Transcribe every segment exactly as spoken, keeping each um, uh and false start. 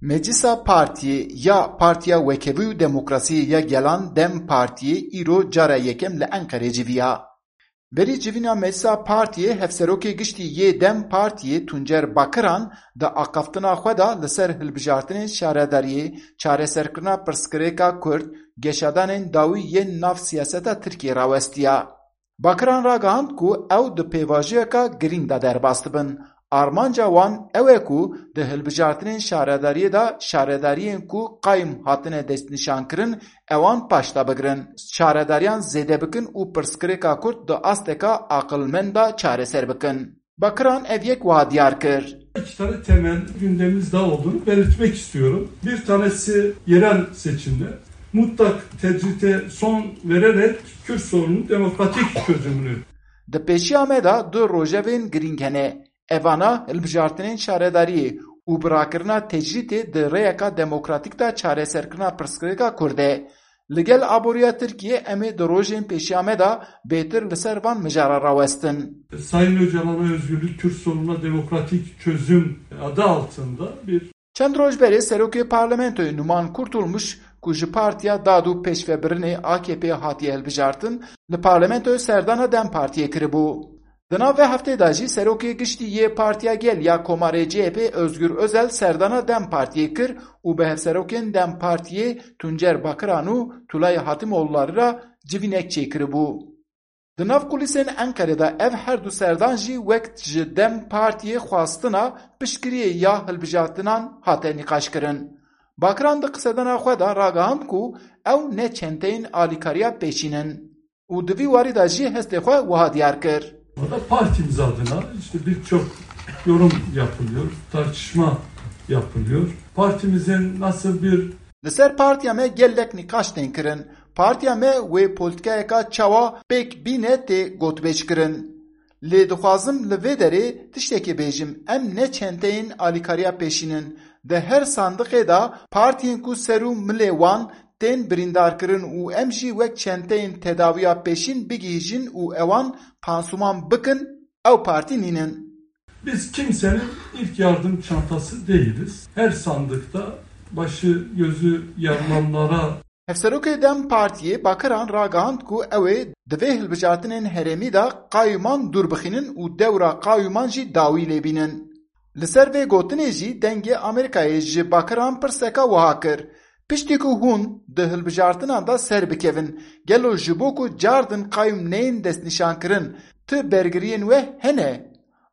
Meclisa Partiyê ya Partiya Wekevî û Demokrasiyê ya Gelan, DEM Partiyê, îro cara yekem li Enqerê civiya. Berî civîna Meclisa Partiyê, Hevserokê Giştî yê DEM Partiyê Tuncer Bakiran di axaftina xwe de li ser hilbijartinên şaredariyê, çareserkirina pirsgirêka Kurd, geşadanên dawî yên nav siyaseta Tirkiyê rawestiya. Bakiran ragihand ku ew di pêvajoyeka girîng de derbas dibin. Armanca wan ew e ku di hilbijartinên şaredariyê de şaredariyên ku qayim hatine destnîşankirin, ewan paş de bigirin, şaredariyan zêde bikin û pirsgirêka Kurd di asteka aqilmend de çareser bikin. Bakiran ev yek wiha diyar kir. İki tane temel gündemimiz daha olduğunu belirtmek istiyorum. Bir tanesi yerel seçimler. Mutlak tecrite son vererek Kürt sorununun demokratik çözümünü Di pêşiya me de du rojevên girîng hene. Evana hilbijartinên şaredariyê û birakirina tecrîtê di rêyeka demokratîk de çareserkirina pirsgirêka Kurd e. Li gel aboriya Tirkiyê em ê di rojên pêşiya me de bêtir li ser van mijara rawestin. Sayın Öcalan'a özgürlük, Kürt sorununa demokratik çözüm adı altında bir Çend roj berê Serokê Parlamentoyê Numan Kurtulmuş, ku ji Partiya Dad û Pêşvebirinê, A K P, hatiye hilbijartin, li Parlamentoyê serdana DEM Partiyê kiribû. Di nav vê heftê de jî Serokê Giştî yê Partiya Gel ya Komarê, C H P, Özgür Özel serdana DEM Partiyê kir û bi hevserokên DEM Partiyê Tuncer Bakiran û Tulay Hatimoğulları re civînek çêkiribû. Di nav kulîsên Enqerê de ev her du serdan jî wek ji DEM Partiyê xwestina piştgiriyê ya hilbijartinan hate nîqaşkirin. Bakiran di qisedana xwe de ragihand ku ew ne çenteyên alîkariya pêşîn in û di vî warî de jî hestê xwe wiha diyar kir. Orada partimiz adına işte birçok yorum yapılıyor, tartışma yapılıyor. Partimizin nasıl bir Li ser partiya me gelek nîqaş tên kirin. Partiya me wê polîtîkayeka çawa pêk bîne tê gotbêj kirin. Lê dixwazim li vê derê tiştekê bêjim, em ne çenteyên alîkariya pêşîn in. Di her sandiqê de partiyên ku ser û milê wan tên birîndarkirin û em jî wek çenteyên tedawiya pêşîn bigihîjin û ewan pansuman bikin, ew partî nînin. Biz kimsenin ilk yardım çantası değiliz. Her sandıkta başı gözü yaralanlara Hevserokê DEM Partiyê Bakiran ragihand ku ew ê di vê hilbijartinên herêmî de qayûman dûr bixînin û dewra qayûman jî dawî lê bînin. Li ser vê gotinê jî Dengê Amerîkayê ji Bakiran pirseka wiha kir, Piştî ku hûn di hilbijartinan de ser bikevin, gelo ji bo ku cardin qayûm neyên destnîşankirin, tu bergiriyên we hene?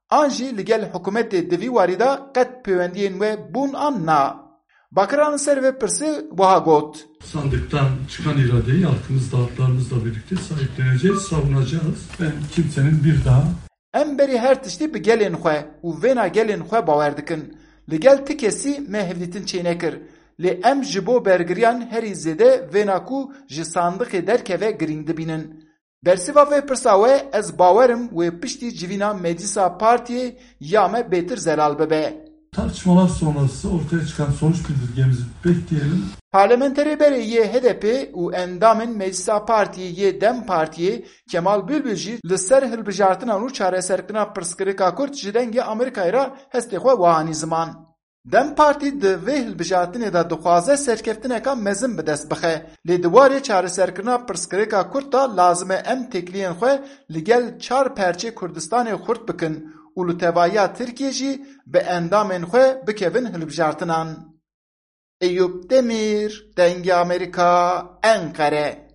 An jî li gel hikûmetê di vî warî de qet pêwendiyên we bûn an na? Bakiran li ser vê pirsê wiha got. Sandıktan çıkan iradeyi halkımız, dağıtlarımızla birlikte sahipleneceğiz, savunacağız. Ben kimsenin bir daha Em berî her tiştî bi gelên xwe û vêna gelên xwe bawer dikin. Li gel ti kesî me hevdîtin çênekir. Lê em ji bo bergiriyan herî zêde vêna ku ji sandiqê derkeve girîng dibînin. Bersiva vê pirsa we, ez bawer im wê piştî civîna meclisa partiyê ya me bêtir zelal bibe. Tartışmalar sonrası ortaya çıkan sonuç bildirgemizi bekleyelim. Parlamenterê berê yê H D P û endamên Meclisa Partiyê yê DEM Partiyê Kemal Bülbül jî li ser hilbijartinan û çareserkirina pirsgirêka Kurd ji Dengê Amerîkayê re hestê xwe wiha anî ziman. DEM Partî di vê hilbijartinê de dixwaze serkeftineka mezin bi dest bixe, lê di warê çareserkirina pirsgirêka Kurd de lazim e em têkiliyên xwe li gel çar perçê Kurdistanê xurt bikin û li tevahiya Tirkiyê jî bi endamên xwe bikevin hilbijartinan. Eyûp Demîr, Dengê Amerîka, Enqere.